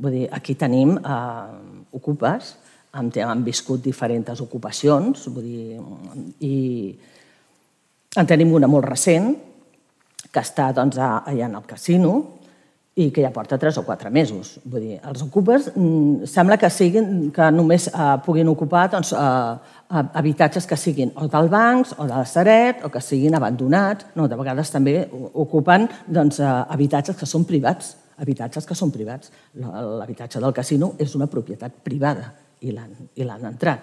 Vull dir, aquí tenim ocupes, han viscut diferents ocupacions, i en tenim una molt recent, que està allà en el casino i que ja porta 3 o 4 mesos. Vull dir, els ocupes sembla que només puguin ocupar habitatges que siguin o del bancs o de la Sareb o que siguin abandonats. No, de vegades també ocupen habitatges que són privats. L'habitatge del casino és una propietat privada i l'han entrat.